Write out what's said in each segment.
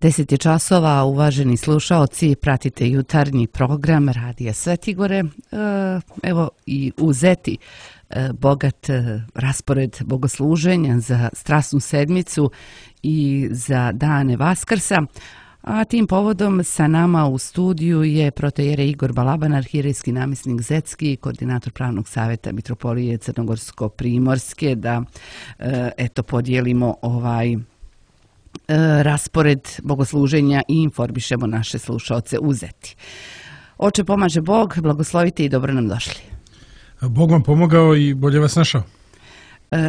10 je časova, uvaženi slušaoci, pratite jutarnji program Radija Svetigore. Evo i u Zeti bogat raspored bogosluženja za Strasnu sedmicu i za dane Vaskrsa. A tim povodom sa nama u studiju je protojere Igor Balaban, arhierejski namjesnik Zetski, koordinator Pravnog savjeta Mitropolije Crnogorsko-Primorske, da podijelimo raspored bogosluženja i informišemo naše slušaoce u Zeti. Oče pomaže Bog, blagoslovite i dobro nam došli. Bog vam pomogao i bolje vas našao.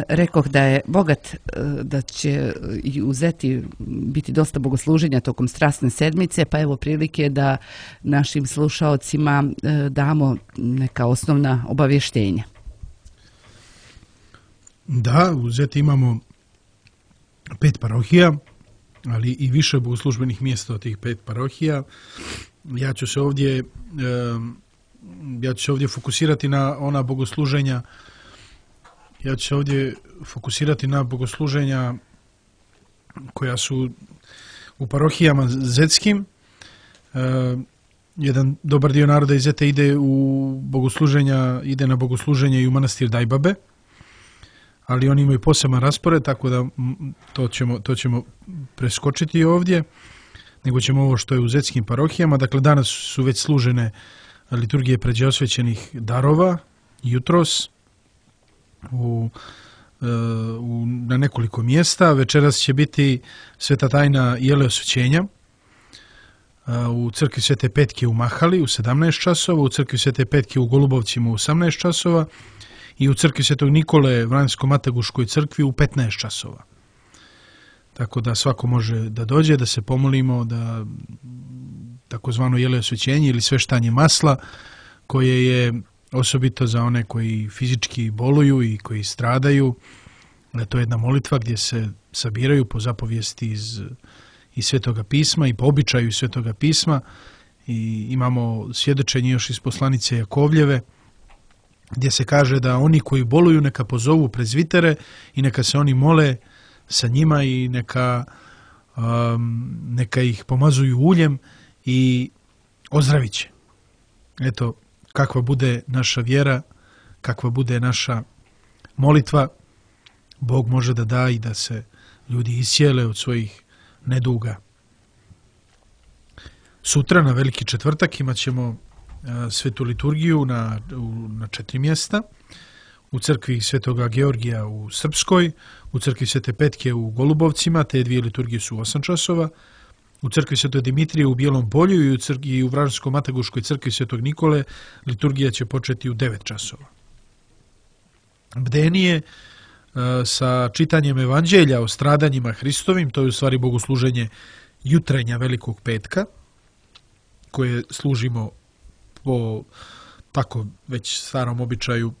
Rekoh da je bogat, da će i u Zeti biti dosta bogosluženja tokom Strasne sedmice, pa evo prilike da našim slušaocima damo neka osnovna obavještenja. Da, u Zeti imamo 5 parohija, ali i više bogoslužbenih mjesta od tih 5 parohija. Ja ću se ovdje fokusirati na ona bogosluženja. Ja ću se ovdje fokusirati na bogosluženja koja su u parohijama zetskim. Jedan dobar dio naroda iz Zete ide na bogosluženje i u manastir Dajbabe, ali oni imaju poseban raspored, tako da to ćemo preskočiti ovdje, nego ćemo ovo što je u zetskim parohijama. Dakle, danas su već služene liturgije pređeosvećenih darova, jutros, na nekoliko mjesta. Večeras će biti sveta tajna jele osvećenja u crkvi Svete Petke u Mahali u 17 časova, u crkvi Svete Petke u Golubovcima u 18 časova i u crkvi Svetog Nikole Vranjsko-Mataguškoj crkvi u 15 časova. Tako da svako može da dođe, da se pomolimo, da takozvano jele osvećenje ili sveštanje masla, koje je osobito za one koji fizički boluju i koji stradaju. To je jedna molitva gdje se sabiraju po zapovijesti iz Svetoga pisma i po običaju iz Svetoga pisma. I imamo svjedočenje još iz poslanice Jakovljeve, gdje se kaže da oni koji boluju neka pozovu prezvitere i neka se oni mole sa njima i neka ih pomazuju uljem i ozdravit će. Eto, kakva bude naša vjera, kakva bude naša molitva, Bog može da da i da se ljudi iscijele od svojih neduga. Sutra, na Veliki četvrtak, imat ćemo svetu liturgiju na 4 mjesta. U crkvi Svetoga Georgija u Srpskoj, u crkvi Svete Petke u Golubovcima, te 2 liturgije su u 8 časova. U crkvi Svetog Dimitrije u Bijelom Polju i u Vranjsko-Mataguškoj crkvi Svetog Nikole liturgija će početi u 9 časova. Bdenije sa čitanjem evanđelja o stradanjima Hristovim, to je u stvari bogosluženje jutrenja Velikog petka, koje služimo po tako već starom običaju,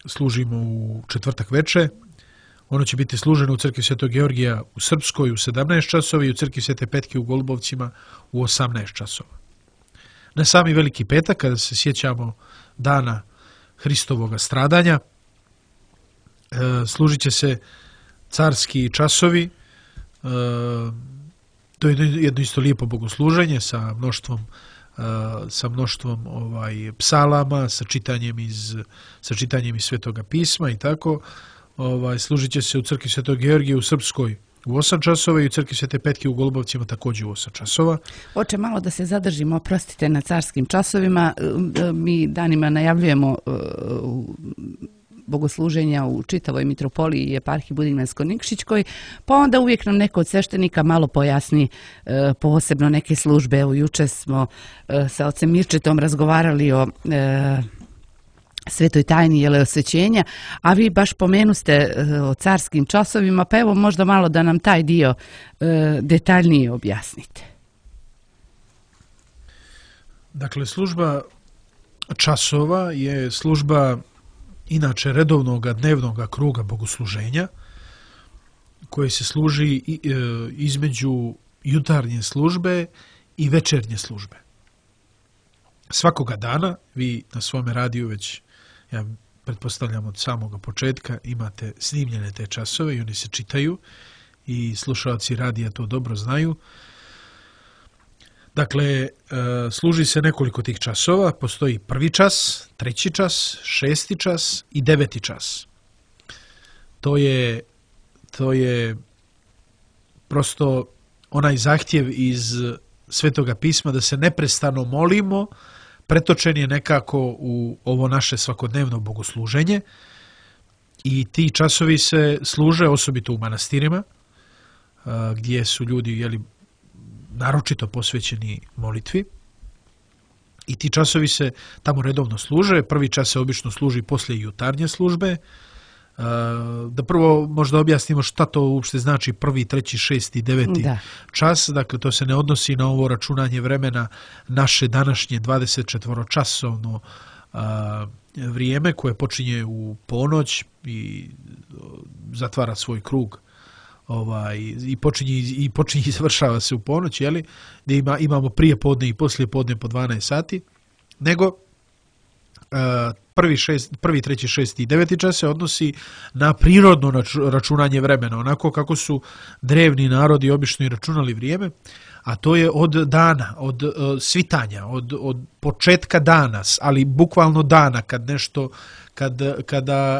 služimo u četvrtak veče. Ono će biti služeno u crkvi Svetog Georgija u Srpskoj u 17 časova i u crkvi Svete Petke u Golubovcima u 18 časova. Na sami Veliki petak, kada se sjećamo dana Hristovoga stradanja, služit će se carski časovi. To je jedno isto lijepo bogosluženje sa mnoštvom psalama, sa čitanjem iz Svetoga pisma i tako. Služit će se u crkvi Svetog Georgija u Srpskoj u 8 časova i u crkvi Svete Petke u Golubovcima također u 8 časova. Oče, malo da se zadržimo, oprostite, na carskim časovima. Mi danima najavljujemo bogosluženja u čitavoj mitropoliji i eparhiji Budimljansko-Nikšićkoj, pa onda uvijek nam neko od sveštenika malo pojasni posebno neke službe. Evo, juče smo sa ocem Mirčetom razgovarali o svetoj tajni jele osvećenja, a vi baš pomenuste o carskim časovima, pa evo možda malo da nam taj dio detaljnije objasnite. Dakle, služba časova je služba inače redovnog dnevnog kruga bogosluženja, koje se služi između jutarnje službe i večernje službe. Svakoga dana vi na svome radiju već, ja pretpostavljam od samoga početka, imate snimljene te časove i oni se čitaju i slušalci radija to dobro znaju. Dakle, služi se nekoliko tih časova. Postoji prvi čas, treći čas, šesti čas i deveti čas. To je prosto onaj zahtjev iz Svetoga pisma da se neprestano molimo, pretočen je nekako u ovo naše svakodnevno bogosluženje i ti časovi se služe osobito u manastirima gdje su ljudi naročito posvećeni molitvi i ti časovi se tamo redovno služe. Prvi čas se obično služi poslije jutarnje službe. Da prvo možda objasnimo šta to uopšte znači prvi, treći, šesti, deveti čas. Dakle, to se ne odnosi na ovo računanje vremena naše današnje 24-časovno vrijeme koje počinje u ponoć i zatvara svoj krug i počinje i završava se u ponoć, gdje imamo prije podne i poslije podne po 12 sati, nego prvi, treći, šesti i deveti čas se odnosi na prirodno računanje vremena, onako kako su drevni narodi obično i računali vrijeme, a to je od dana, od svitanja, od početka dana, ali bukvalno dana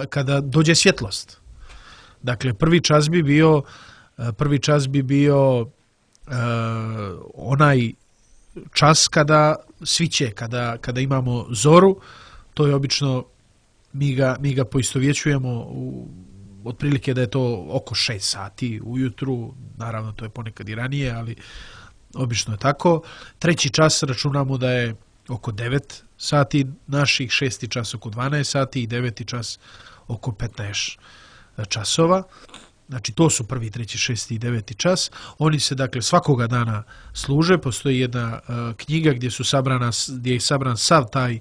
kada dođe svjetlost. Dakle, prvi čas bi bio onaj čas kada sviće, kada imamo zoru. To je obično, mi ga poistovjećujemo otprilike da je to oko 6 sati ujutru, naravno to je ponekad i ranije, ali obično je tako. Treći čas računamo da je oko 9 sati naših, šesti čas oko 12 sati i deveti čas oko 15 časova. Znači to su prvi, treći, šesti i deveti čas. Oni se dakle svakoga dana služe. Postoji jedna knjiga gdje je sabran sav taj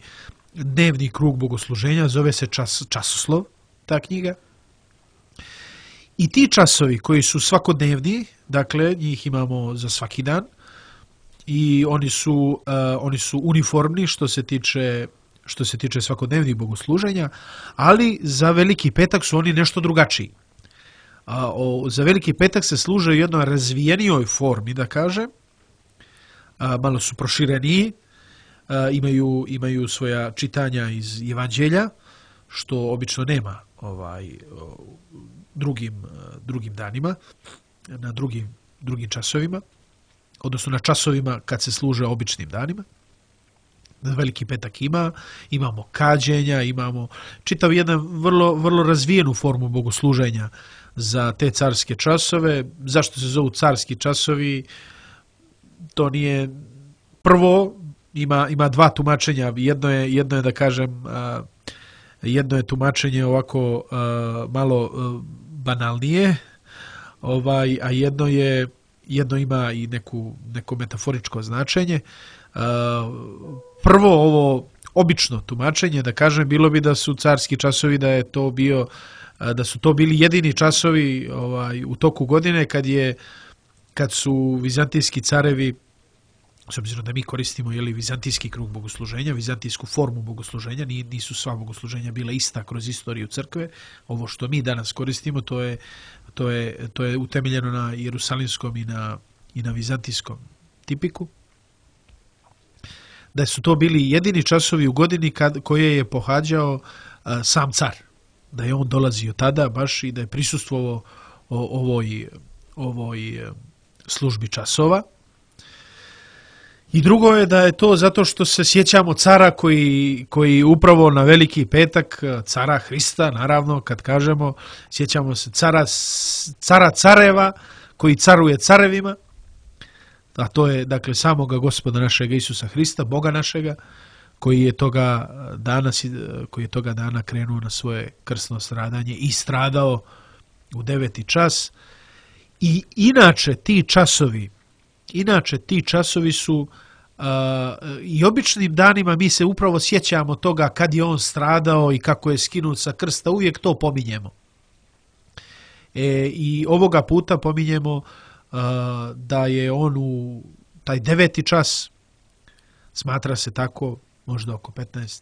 dnevni krug bogosluženja, zove se Časoslov, ta knjiga. I ti časovi koji su svakodnevni, dakle njih imamo za svaki dan i oni su uniformni što se tiče svakodnevnih bogosluženja, ali za Veliki petak su oni nešto drugačiji. Za Veliki petak se služe u jednoj razvijenijoj formi, da kažem, malo su prošireniji, imaju svoja čitanja iz Evanđelja, što obično nema drugim danima, na drugim časovima, odnosno na časovima kad se služe običnim danima. Veliki petak imamo kađenja, imamo čitav jedan vrlo razvijenu formu bogosluženja za te carske časove. Zašto se zovu carski časovi? To nije prvo, ima dva tumačenja. Jedno je da kažem, jedno je tumačenje ovako malo banalnije, a jedno ima i neko metaforičko značenje. Prvo ovo obično tumačenje, da kažem, bilo bi da su carski časovi, da su to bili jedini časovi u toku godine kad su vizantijski carevi, s obzirom da mi koristimo vizantijski krug bogosluženja, vizantijsku formu bogosluženja, nisu sva bogosluženja bila ista kroz istoriju crkve. Ovo što mi danas koristimo, to je utemeljeno na jerusalimskom i na vizantijskom tipiku. Da su to bili jedini časovi u godini koje je pohađao sam car. Da je on dolazio tada baš i da je prisustvovao ovoj službi časova. I drugo je da je to zato što se sjećamo cara koji upravo na Veliki petak, cara Hrista, naravno, kad kažemo, sjećamo se cara careva koji caruje carevima, a to je dakle samoga Gospoda našega Isusa Hrista, Boga našega, koji je toga dana krenuo na svoje krsno stradanje i stradao u 9. čas. I inače ti časovi su i običnim danima mi se upravo sjećamo toga kad je on stradao i kako je skinut sa krsta, uvijek to pominjemo. I ovoga puta pominjemo da je on u taj 9. čas, smatra se tako, možda oko 15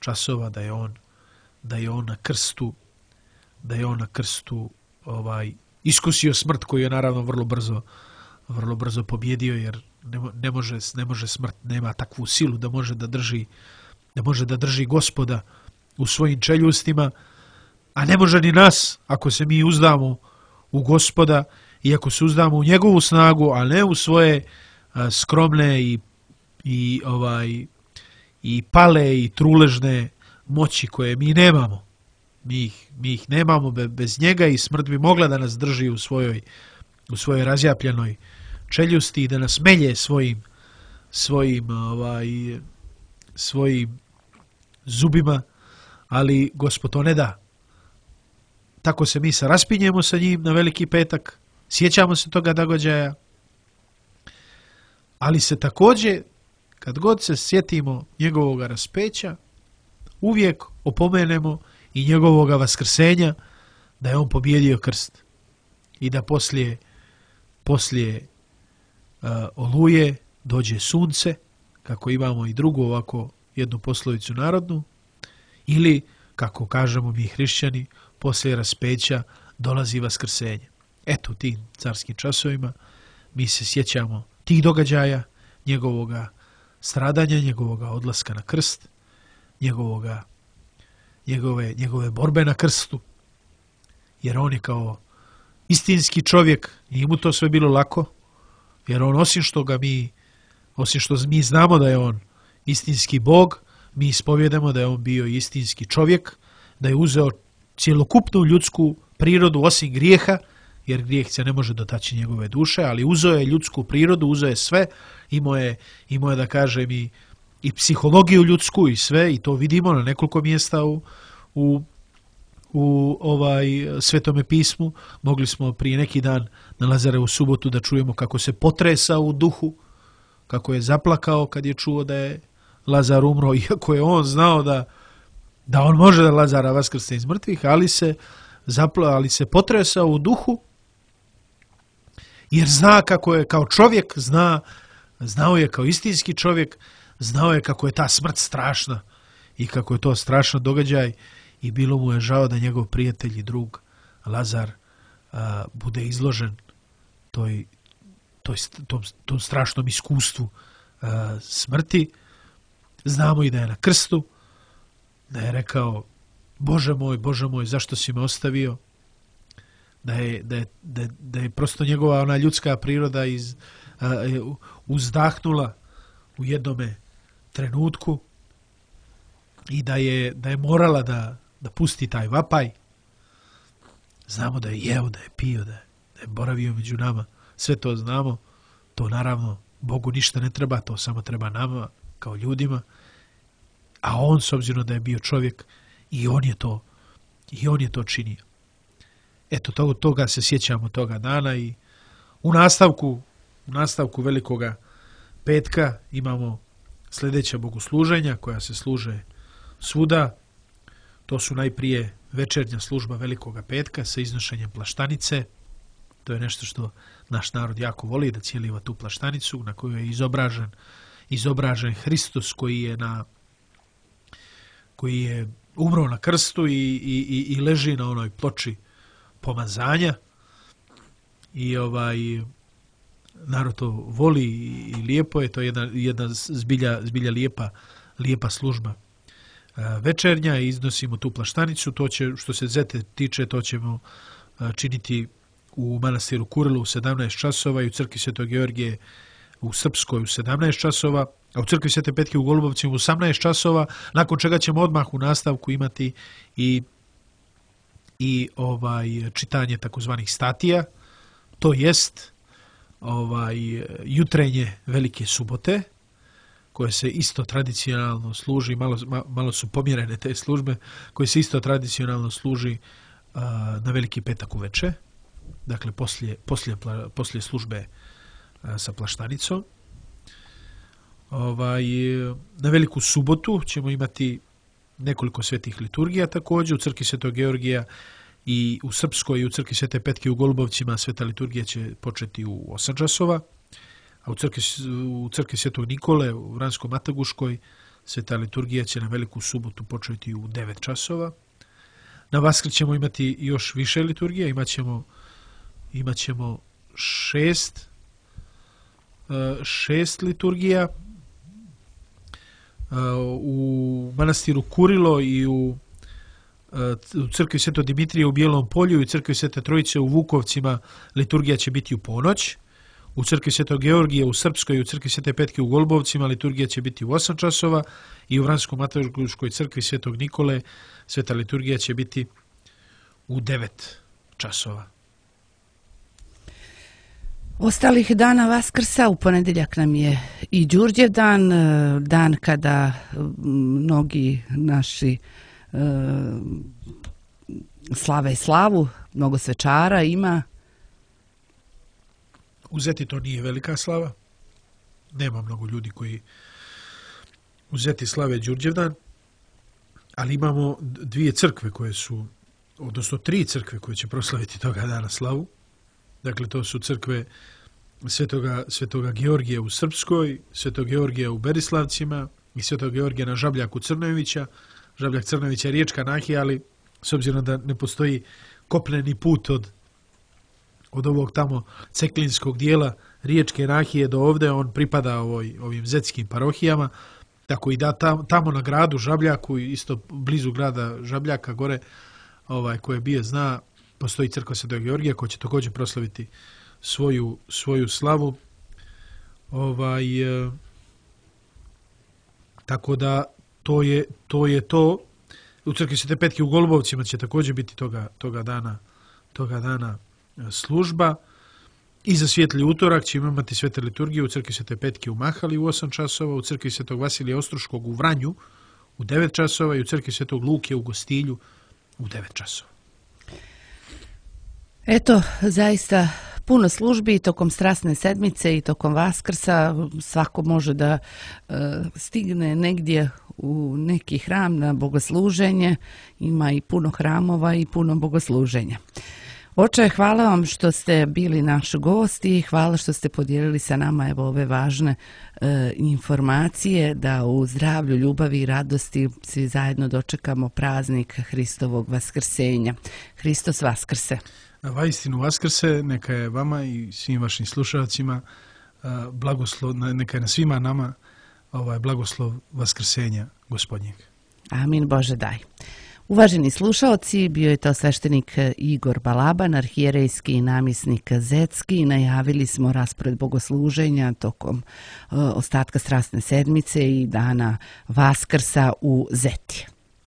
časova, da je on na krstu iskusio smrt koju je naravno vrlo brzo vrlo brzo pobjedio, jer ne može smrt, nema takvu silu da može da drži Gospoda u svojim čeljustima, a ne može ni nas ako se mi uzdamo u Gospoda i ako se uzdamo u njegovu snagu, a ne u svoje skromne i pale i truležne moći koje mi nemamo. Mi ih nemamo bez njega i smrt bi mogla da nas drži u svojoj razjapljenoj čeljusti i da nas melje svojim zubima, ali Gospod to ne da. Tako se mi raspinjemo sa njim na Veliki petak, sjećamo se toga događaja, ali se također, kad god se sjetimo njegovog raspeća, uvijek opomenemo i njegovog vaskrsenja, da je on pobjedio krst i da poslije oluje dođe sunce, kako imamo i drugu ovako jednu poslovicu narodnu, ili, kako kažemo mi hrišćani, poslije raspeća dolazi vaskrsenje. Eto, u tim carskim časovima mi se sjećamo tih događaja, njegovoga stradanja, njegovoga odlaska na krst, njegove borbe na krstu, jer on je kao istinski čovjek, nije mu to sve bilo lako, jer on osim što mi znamo da je on istinski Bog, mi ispovjedamo da je on bio istinski čovjek, da je uzeo cjelokupnu ljudsku prirodu osim grijeha, jer grijeh se ne može dotaći njegove duše, ali uzeo je ljudsku prirodu, uzeo je sve, imao je da kažem i psihologiju ljudsku i sve, i to vidimo na nekoliko mjesta u Svetome pismu. Mogli smo prije neki dan na Lazarevu subotu da čujemo kako se potresao u duhu, kako je zaplakao kad je čuo da je Lazar umro, iako je on znao da on može da Lazara vaskrsne iz mrtvih, ali se potresao u duhu, jer zna kako je kao čovjek, znao je kao istinski čovjek, znao je kako je ta smrt strašna i kako je to strašan događaj, i bilo mu je žao da njegov prijatelj i drug Lazar bude izložen tom strašnom iskustvu smrti. Znamo i da je na krstu, da je rekao: Bože moj, zašto si me ostavio? Da je prosto njegova ona ljudska priroda uzdahnula u jednome trenutku i da je morala da pusti taj vapaj. Znamo da je jeo, da je pio, da je boravio među nama. Sve to znamo. To naravno Bogu ništa ne treba, to samo treba nama kao ljudima. A on, s obzirom da je bio čovjek, i on je to činio. Eto, toga se sjećamo toga dana, i u nastavku Velikoga petka imamo sljedeća bogosluženja koja se služe svuda. To su najprije večernja služba Velikoga petka sa iznošenjem plaštanice. To je nešto što naš narod jako voli, da cijeliva tu plaštanicu na kojoj je izobražen Hristos koji je umro na krstu i leži na onoj ploči pomazanja. I narod to voli i lijepo je, to je jedna zbilja lijepa služba večernja, i iznosimo tu plaštanicu. To će, što se zete tiče, to ćemo činiti u manastiru Kurilu u 17 časova i u crkvi Svetog Georgije u Srpskoj u 17 časova, a u crkvi Svete Petke u Golubovcima u 18 časova, nakon čega ćemo odmah u nastavku imati i čitanje takozvanih statija, to jest jutrenje Velike subote, koje se isto tradicionalno služi, malo su pomjerene te službe, koje se isto tradicionalno služi na Veliki petak uveče, dakle poslije službe sa plaštanicom. Na Veliku subotu ćemo imati nekoliko svetih liturgija također. U crkvi Svetog Georgija i u Srpskoj i u crkvi Svete Petke u Golubovcima sveta liturgija će početi u 8 časova, a u crkvi Svetog Nikole u Vransko-Mataguškoj sveta liturgija će na Veliku subotu početi u 9 časova. Na Vaskrs ćemo imati još više liturgija, imat ćemo 6 6 liturgija, u manastiru Kurilo i u crkvi Svetog Dimitrija u Bijelom Polju i u crkvi Svete Trojice u Vukovcima liturgija će biti u ponoć. U crkvi Svetog Georgija u Srpskoj i u crkvi Svete Petke u Golubovcima liturgija će biti u 8 časova i u Vransko-Matoliškoj crkvi Svetog Nikole sveta liturgija će biti u 9 časova. Ostalih dana Vaskrsa u ponedjeljak nam je i Đurđev dan, dan kada mnogi naši slave slavu, mnogo svečara ima. U Zeti to nije velika slava. Nema mnogo ljudi koji u Zeti slave Đurđevdan, ali imamo 2 crkve koje su, odnosno 3 crkve koje će proslaviti toga dana slavu. Dakle, to su crkve Svetoga Georgija u Srpskoj, Svetog Georgija u Berislavcima i Svetog Georgija na Žabljaku Crnojevića. Žabljak Crnojevića je riječka nahija, ali s obzirom da ne postoji kopneni put od ovog tamo ceklinskog dijela riječke nahije do ovde, on pripada ovim zetskim parohijama, tako i da tamo na gradu Žabljaku, isto blizu grada Žabljaka gore, koje bije zna, postoji crkva Svetog Georgija koja će također proslaviti svoju slavu. Tako da to je to. U crkvi Svete Petke u Golubovcima će također biti toga dana služba. I za Svijetli utorak ćemo imati svete liturgije u crkvi Svete Petke u Mahali u 8 časova, u crkvi Svetog Vasilija Ostroškog u Vranju u 9 časova i u crkvi Svetog Luke u Gostilju u 9 časova. Eto, zaista puno službi tokom Strasne sedmice i tokom Vaskrsa. Svako može da stigne negdje u neki hram na bogosluženje. Ima i puno hramova i puno bogosluženja. Oče, hvala vam što ste bili naš gost i hvala što ste podijelili sa nama ove važne informacije da u zdravlju, ljubavi i radosti svi zajedno dočekamo praznik Hristovog vaskrsenja. Hristos vaskrse! Vaistinu vaskrse, neka je vama i svim vašim slušalcima blagoslov, neka je na svima nama blagoslov vaskrsenja Gospodnjeg. Amin, Bože daj. Uvaženi slušalci, bio je to sveštenik Igor Balaban, arhijerejski namjesnik zetski. Najavili smo raspored bogosluženja tokom ostatka Strasne sedmice i dana Vaskrsa u Zeti.